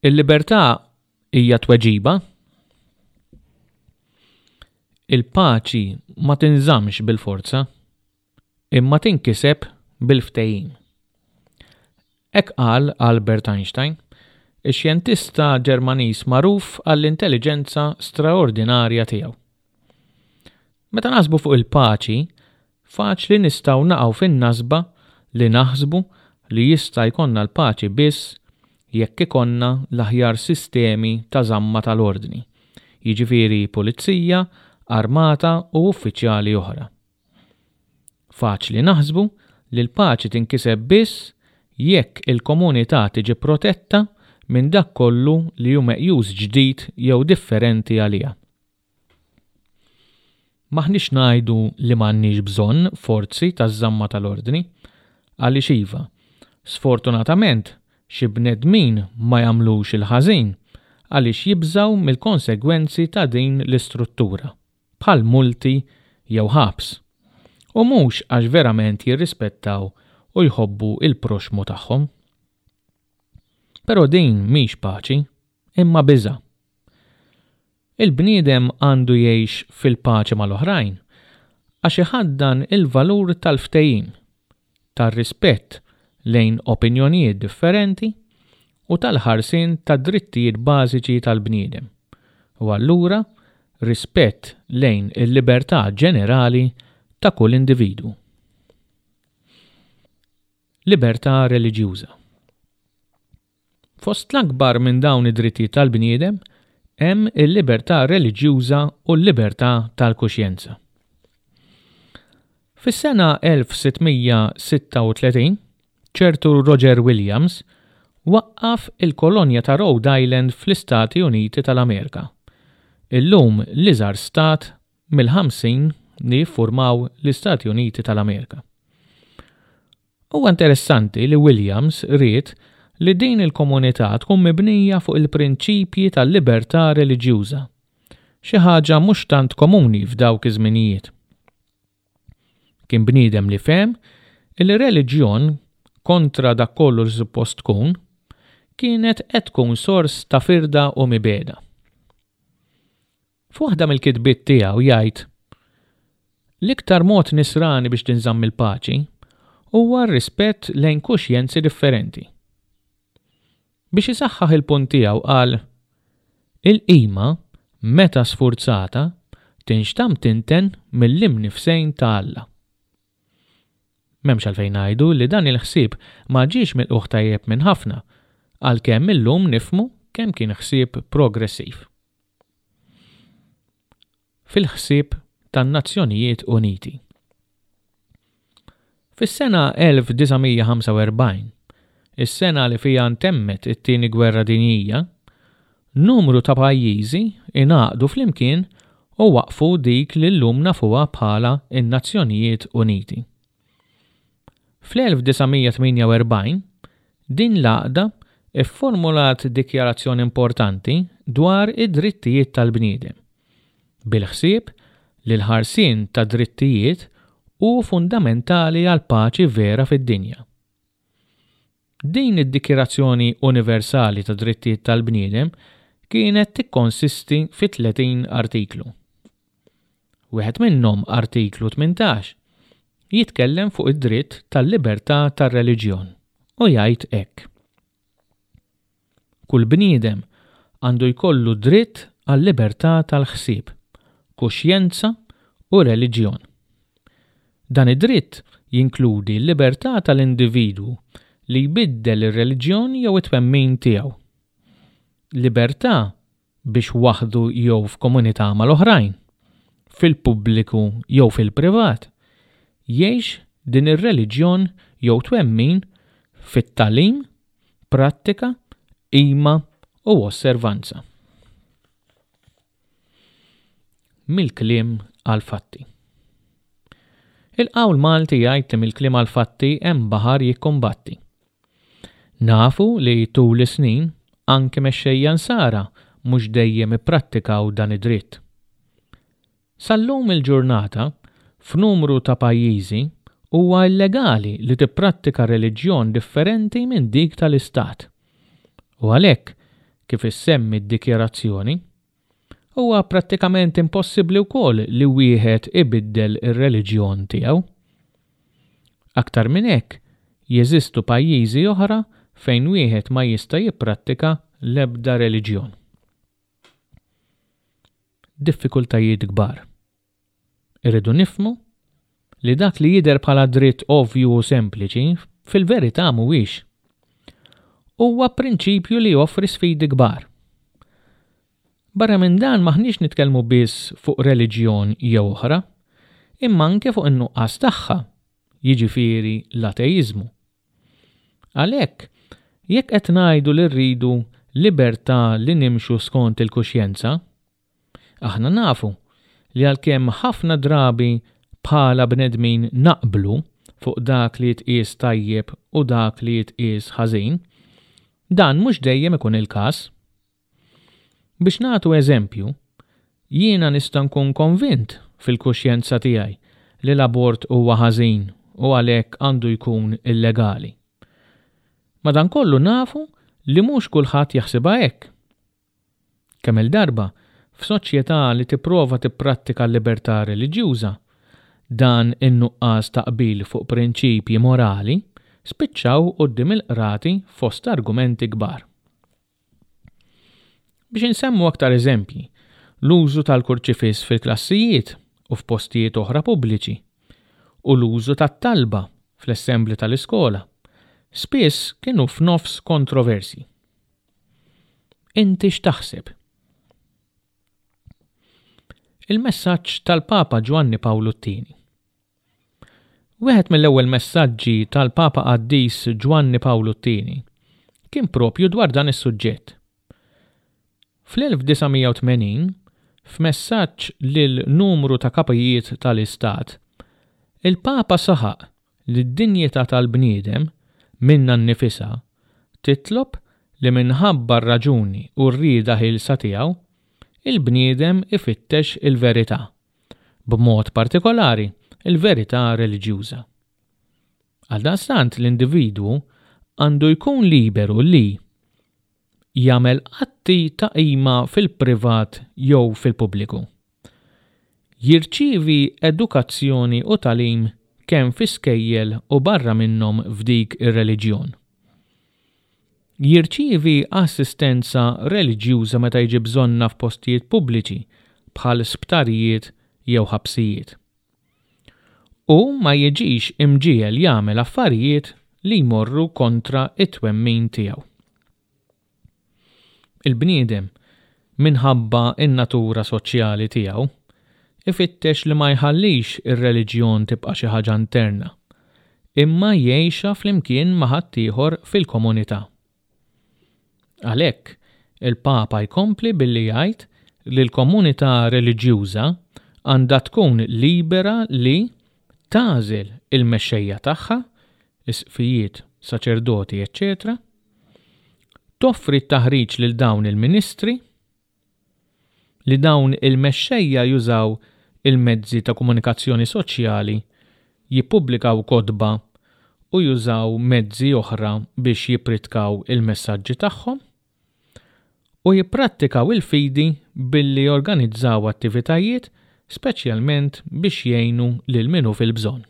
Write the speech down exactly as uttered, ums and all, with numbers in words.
Il-libertà hija tweġiba. Il-paċi ma tinżammx bil-forza, imma tinkiseb bil-ftehim. Hekk qal Albert Einstein, ix-xjentista Ġermaniż magħruf għall-intelliġenza straordinarja tiegħu. Meta naħsbu fuq il-paċi, faċli nistgħu naqgħu fin-nasba li naħsbu li jista' jkollna l-paċi biss jekk ikollna l-aħjar sistemi ta' żamma tal-ordni, jiġifieri pulizija, armata u uffiċjali oħra. Faċli naħsbu li l-paċi tinkiseb biss jekk il-komunità tiġi protetta minn dak kollu li hu meqjus ġdid jew differenti għaliha. M'aħniex ngħidu li m'għandniex bżonn forzi taż-żamma tal-ordni, għaliex iva, sfortunatament xi bnedmin ma jagħmlux il-ħażin għaliex jibżgħu mill-konsegwenzi ta' din l-istruttura, bħal multi jew ħabs, u mhux għax verament jirrispettaw u jħobbu il-proxmu tagħhom. Però din mhix paċi, imma biża'. Il-bniedem għandu jgħix fil-paċi mal-oħrajn għax iħaddan il-valur tal-ftehim, tar-rispett lejn opinjonijiet differenti u tal-ħarsien tad-drittijiet bażiċi tal-bniedem, u allura rispett lejn il-libertà ġenerali ta' kull individwu. Libertà reliġjuża. Fost l-akbar minn dawn id-drittijiet tal-bniedem hemm il-libertà reliġjuża u l-libertà tal-kuxjenza. Fis-sena elf sitt mija sitta u tletin, ċertu Roger Williams waqqaf il-kolonja ta' Rhode Island fl-Istati Uniti tal-Amerika, illum l-iżgħar stat mill-ħamsin li jiffurmaw l-Istati Uniti tal-Amerika. Huwa interessanti li Williams ried li din il-komunità tkun mibnija fuq il-prinċipji tal-libertà reliġjuża, xi ħaġa mhux tant komuni f'dawk iż-żminijiet. Kien bniedem li fehem li reliġjon kontra dak kollu li suppost tkun kienet qed tkun sors ta' firda u mibegħda. F'waħda mill-kitbiet tiegħu jgħid: L-iktar mod nisrani biex tinżamm il-paċi huwa r-rispett lejn kuxjenzi differenti. Biex isaħħaħ il-punt tiegħu qal: Il-qima, meta sfurzata, tinxtam tinten mill-imnifsejn ta' Alla. M'hemmx għalfejn ngħidu li dan il-ħsieb ma ġiex milqugħ tajjeb minn ħafna, għalkemm illum nifhmu kemm kien ħsieb progressiv. Fil-ħsieb tan-Nazzjonijiet Uniti. Fis-sena elf disa' mija ħamsa u erbgħin, is-sena li fiha ntemmet it-Tieni Gwerra Dinjija, numru ta' pajjiżi ingħaqdu flimkien u waqfu dik li llum nafuha bħala n-Nazzjonijiet Uniti. Fl-elf disa' mija tmienja u erbgħin, din l-għaqda ifformulat dikjarazzjoni importanti dwar id-drittijiet tal-bniedem, bil-ħsieb li l-ħarsien ta' drittijiet hu fundamentali għal paċi vera fid-dinja. Din id-dikjarazzjoni universali ta' drittijiet tal-bniedem kienet tikkonsisti fi tletin artiklu. Wieħed minnhom, artiklu tmintax, jitkellem fuq id-dritt tal-libertà tar-reliġjon u jgħid hekk: Kull bniedem għandu jkollu dritt għal-libertà tal-ħsieb, kuxjenza u reliġjon. Dan id-dritt jinkludi l-libertà tal-individwu li jbiddel ir-reliġjon jew it-twemmin tiegħu. Libertà biex waħdu jew f'komunità mal-oħrajn, fil-pubbliku jew fil-privat, jgħix din ir-reliġjon jew twemmin fit-tagħlim, prattika, qima u osservanza. Mill-kliem għal-fatti. Il-qawl Malti jgħid li mill-kliem għal-fatti hemm baħar jikkombatti. Nafu li tul is-snin anke mexxejja nsara mhux dejjem ipprattikaw dan id-dritt. Sal-lum il-ġurnata, f'numru ta' pajjiżi huwa illegali li tipprattika reliġjon differenti minn dik tal-istat. U għalhekk kif issemmi d-dikjarazzjoni, huwa prattikament impossibbli wkoll li wieħed ibiddel ir-reliġjon tiegħu. Aktar minn hekk, jeżistu pajjiżi oħra fejn wieħed ma jista' jipprattika l-ebda reliġjon. Diffikultajiet kbar. Irridu nifhmu li dak li jidher bħala dritt ovvju u sempliċi fil-verità mhuwiex. Huwa prinċipju li joffri sfidi kbar. Barra minn dan m'aħniex nitkellmu biss fuq reliġjon jew oħra, imma anke fuq in-nuqqas tagħha, jiġifieri l-ateiżmu. Għalhekk, jekk qed ngħidu li rridu libertà li nimxu skont il-kuxjenza, aħna nafu li għalkemm ħafna drabi bħala bnedmin naqblu fuq dak li jitqies tajjeb u dak li jitqies ħażin, dan mhux dejjem ikun il-każ. Biex nagħtu eżempju, jiena nista' nkun konvint fil-kuxjenza tiegħi li l-abort huwa ħażin u għalhekk għandu jkun illegali. Madankollu nafu li mhux kulħadd jaħsibha hekk. Kemm-il darba, f'soċjetà li tipprova tipprattika l-libertà reliġjuża, dan in-nuqqas ta' qbil fuq prinċipji morali spiċċaw quddiem il-qrati fost argumenti kbar. Biex insemmu aktar eżempji, l-użu tal-kurċifiss fil-klassijiet u f'postijiet oħra pubbliċi u l-użu tat-talba fl-assembli tal-iskola spiss kienu f'nofs kontroversi. Inti x'taħseb? Il-messaġġ tal-Papa Ġwanni Pawlu t-Tieni. Wieħed mill-ewwel messaġġi tal-Papa Qaddis Ġwanni Pawlu t-Tieni kien propju dwar dan is-suġġett. Fl-elf disa' mija u tmenin, f'messaġġ lil numru ta' kapijiet tal-Istat, il-Papa saħaq li d-dinjità tal-bniedem minna nnifisha titlob li minħabba r-raġuni u r-rieda ħielsa tiegħu, il-bniedem ifittex il-verità, b'mod partikolari il-verità reliġjuża. Għaldaqstant l-individwu għandu jkun liberu li jagħmel atti ta' qima fil-privat jew fil-pubbliku. Jirċievi edukazzjoni u tagħlim kemm fi skejjel u barra minnhom f'dik ir-reliġjon. Jirċievi assistenza reliġjuża meta jiġi bżonna f'postijiet pubbliċi bħal sptarijiet jew ħabsijiet. U ma jiġix imġiegħel jagħmel affarijiet li jmorru kontra it-twemmin tiegħu. Il-bniedem, minħabba in-natura soċjali tiegħu, ifittex li ma jħallix ir-reliġjon tibqa' xi ħaġa interna, imma jgħixha flimkien ma' ħaddieħor fil-komunità. Għalhekk, il-Papa jkompli billi jgħid li l-komunità reliġjuża għandha tkun libera li tagħżel il-mexxejja tagħha, isqfijiet, saċerdoti, eċċetera, toffri t-taħriġ lil dawn il-ministri, li dawn il-mexxejja jużaw il-mezzi ta' komunikazzjoni soċjali, jippubblikaw kotba u jużaw mezzi oħra biex jippritkaw il-messaġġi tagħhom, u jipprattikaw il-fidi billi jorganizzaw attivitajiet speċjalment biex jgħinu lil min hu fil-bżonn.